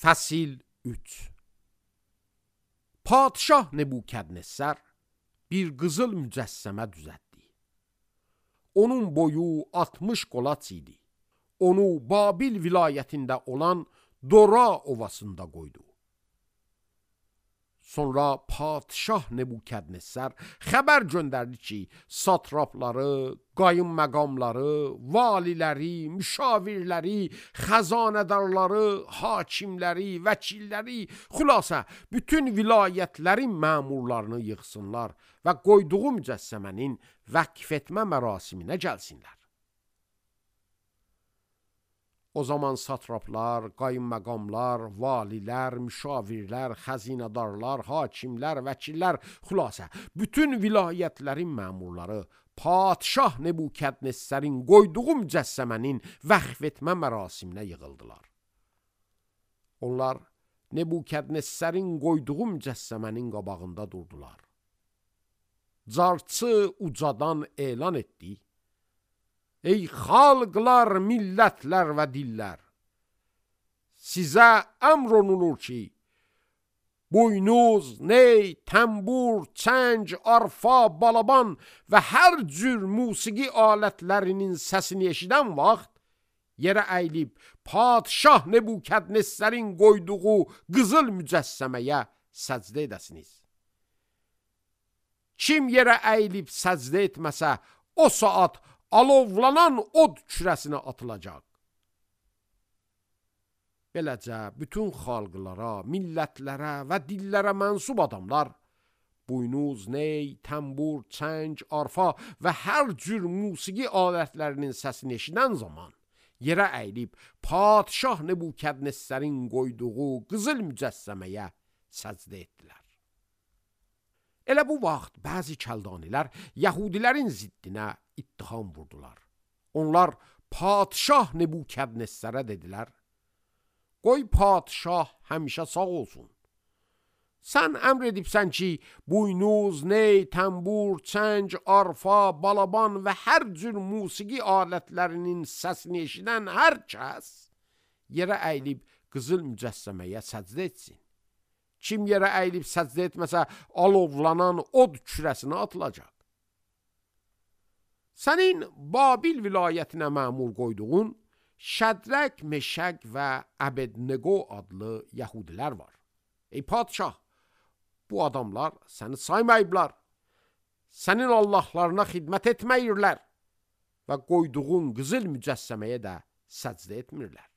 Fəsil 3. Padşah Nebukadnessar bir qızıl mücəssəmə düzəltdi. Onun boyu 60 qolaç idi. Onu Babil vilayətində olan Dora ovasında qoydu. Sonra padşah Nebukadnessar xəbər göndərdi ki, satrapları, qayınməqamları, valiləri, müşavirləri, xəzanədarları, hakimləri, vəkilləri, xülasə bütün vilayətlərin məmurlarını yığsınlar və qoyduğu mücəssəmənin vəqf etmə mərasiminə gəlsinlər. O zaman satraplar, qayınməqamlar, valilər, müşavirlər, xəzinədarlar, hakimlər, vəkillər, xülasə, bütün vilayətlərin məmurları padşah Nebukadnessarın qoyduğu mücəssəmənin vəqf etmə mərasiminə yığıldılar. Onlar Nebukadnessarın qoyduğu mücəssəmənin qabağında durdular. Carçı ucadan elan etdi: Ey xalqlar, millətlər və dillər! Sizə əmr olunur ki, buynuz, ney, təmbur, çəng, arfa, balaban və hər cür musiqi alətlərinin səsini eşidən vaxt yerə əyilib padşah Nebukadnessarın qoyduğu qızıl mücəssəməyə səcdə edəsiniz. Kim yerə əyilib səcdə etməsə, o saat alovlanan od kürəsinə atılacaq. Beləcə, bütün xalqlara, millətlərə və dillərə mənsub adamlar buynuz, ney, təmbur, çəng, arfa və hər cür musiqi alətlərinin səsini eşidən zaman yerə əyilib padşah Nebukadnessarın qoyduğu qızıl mücəssəməyə səcdə etdilər. Elə bu vaxt bəzi kəldanilər Yahudilərin ziddinə ittiham vurdular. Onlar padşah Nebukadnessara dedilər: Qoy padşah həmişə sağ olsun. Sən əmr edibsən ki, buynuz, ney, təmbur, çəng, arfa, balaban və hər cür musiqi alətlərinin səsini eşidən hər kəs yerə əyilib qızıl mücəssəməyə səcdə etsin. Kim yerə əyilib səcdə etməsə, alovlanan od kürəsinə atılacaq. Sənin Babil vilayətinə məmur qoyduğun Şədraq, Meşaq və Əbednego adlı yəhudilər var. Ey padşah, bu adamlar səni saymayıblar, sənin Allahlarına xidmət etməyirlər və qoyduğun qızıl mücəssəməyə də səcdə etmirlər.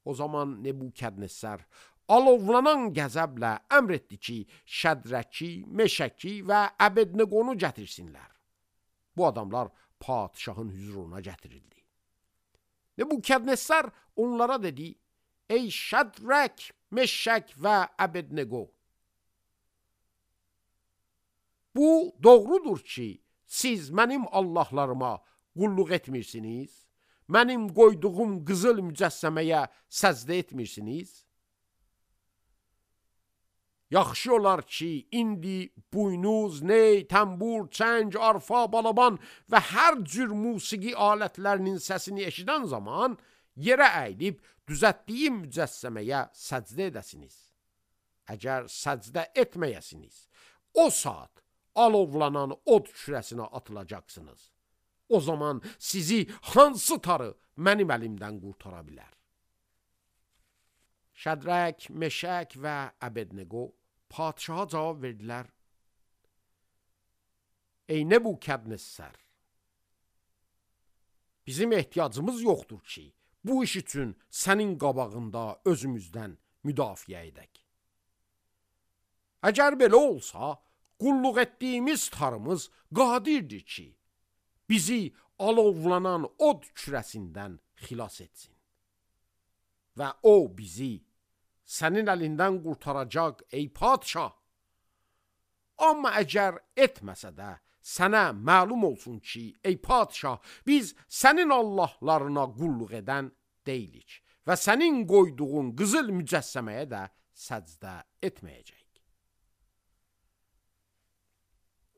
O zaman Nebukadnessar alovlanan qəzəblə əmr etdi ki, Şədraki, Meşaki və Əbednegonu gətirsinlər. Bu adamlar padşahın hüzuruna gətirildi. Nebukadnessar onlara dedi: Ey Şədrak, Meşak və Əbednego! Bu doğrudur ki, siz mənim Allahlarıma qulluq etmirsiniz, mənim qoyduğum qızıl mücəssəməyə səcdə etmirsiniz. Yaxşı olar ki, indi buynuz, ney, təmbur, çəng, arfa, balaban və hər cür musiqi alətlərinin səsini eşidən zaman yerə əyilib düzəltdiyim mücəssəməyə səcdə edəsiniz. Əgər səcdə etməyəsiniz, o saat alovlanan od kürəsinə atılacaqsınız. O zaman sizi hansı tarı mənim əlimdən qurtara bilər? Şədrak, Meşak və Əbednego padşaha cavab verdilər: Ey Nebukadnessar! Bizim ehtiyacımız yoxdur ki, bu iş üçün sənin qabağında özümüzdən müdafiə edək. Əgər belə olsa, qulluq etdiyimiz tarımız qadirdir ki, bizi alovlanan od kürəsindən xilas etsin. Və o bizi sənin əlindən qurtaracaq, ey padşah. Amma əgər etməsə də, sənə məlum olsun ki, ey padşah, biz sənin Allahlarına qulluq edən deyilik və sənin qoyduğun qızıl mücəssəməyə də səcdə etməyəcək.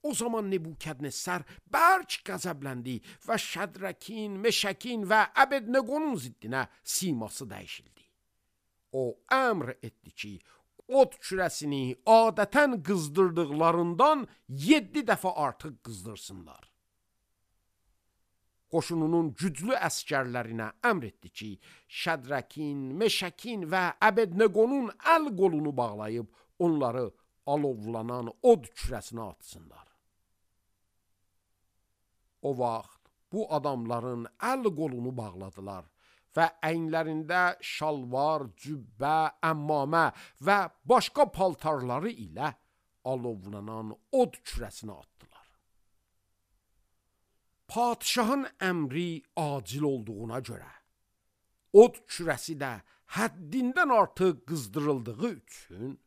O zaman Nebukadnessar bərk qəzəbləndi və Şədrakin, Meşakin və Əbednegonun ziddinə siması dəyişildi. o əmr etdi ki, od kürəsini adətən qızdırdıqlarından 7 dəfə artıq qızdırsınlar. Qoşununun güclü əskərlərinə əmr etdi ki, Şədrakin, Meşəkin və Əbedneqonun əl qolunu bağlayıb onları alovlanan od kürəsinə atsınlar. O vaxt bu adamların əl qolunu bağladılar və əyinlərində şalvar, cübbə, əmmamə və başqa paltarları ilə alovlanan od kürəsinə atdılar. Padişahın əmri acil olduğuna görə od kürəsi də həddindən artıq qızdırıldığı üçün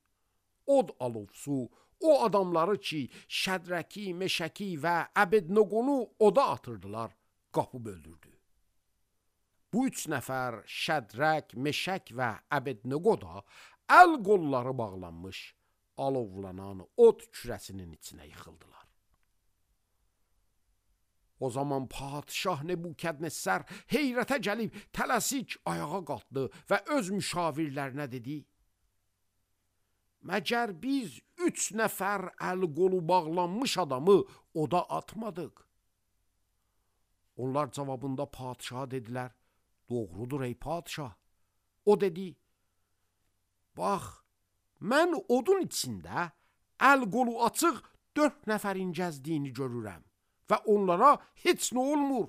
od alovsu o adamları ki, Şədraki, Meşəki və Əbedneqonu oda atırdılar, qapıb öldürdü. Bu 3 nəfər Şədrak, Meşək və Əbedneqo da əl qolları bağlanmış alovlanan od kürəsinin içinə yıxıldılar. O zaman padişah Nebukadnezar heyrətə gəlib tələsik ayağa qalxdı və öz müşavirlərinə dedi: Məgər biz 3 nəfər əl qolu bağlanmış adamı oda atmadıq? Onlar cavabında padişaha dedilər: Doğrudur ey padişah. O dedi: Bax, mən odun içində əl qolu açıq 4 nəfərin gəzdiyini görürəm və onlara heç nə olmur.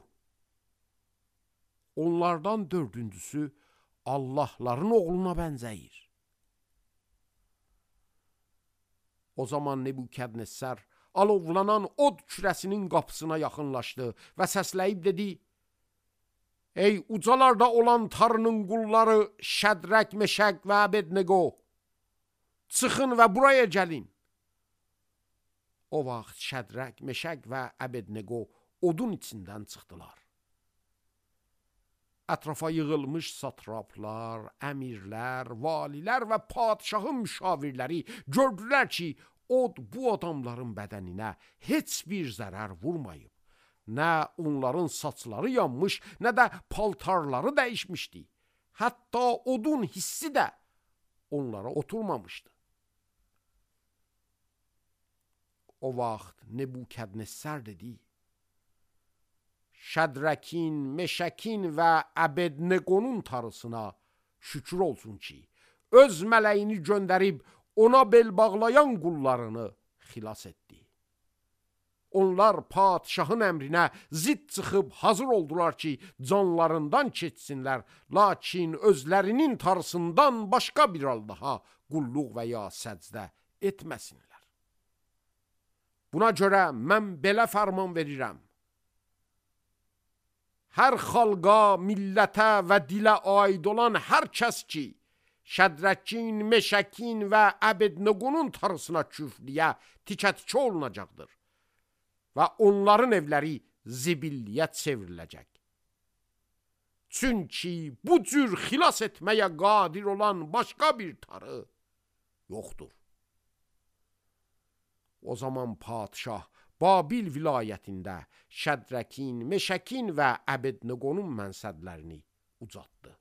Onlardan 4-cüsü Allahların oğluna bənzəyir. O zaman Nebukadnezar alovlanan od kürəsinin qapısına yaxınlaşdı və səsləyib dedi: Ey ucalarda olan Tanrının qulları Şədrak, Meşək və Əbedneqo, çıxın və buraya gəlin. O vaxt Şədrak, Meşək və Əbedneqo odun içindən çıxdılar. Ətrafa yığılmış satraplar, əmirlər, valilər və padişahın müşavirləri gördülər ki, od bu adamların bədəninə heç bir zərər vurmayıb. Nə onların saçları yanmış, nə də paltarları dəyişmişdi. Hətta odun hissi də onlara oturmamışdı. O vaxt Nebukadnezar dedi: Şədrakin, Meşəkin və Əbedneqonun tarısına şükür olsun ki, öz mələyini göndərib ona bel bağlayan qullarını xilas etdi. Onlar padişahın əmrinə zidd çıxıb hazır oldular ki, canlarından keçsinlər, lakin özlərinin tarısından başqa bir Allaha qulluq və ya səcdə etməsinlər. Buna görə mən belə fərman verirəm: hər xalqa, millətə və dilə aid olan hər kəs ki, Şədrakin, Meşəkin və Əbedneqonun tarısına küfrliyə tikə-tikə olunacaqdır və onların evləri zibilliyə çevriləcək. Çünki bu cür xilas etməyə qadir olan başqa bir tarı yoxdur. O zaman padişah Babil vilayətində Şədrakin, Meşəkin və Əbedneqonun mənsəblərini ucatdı.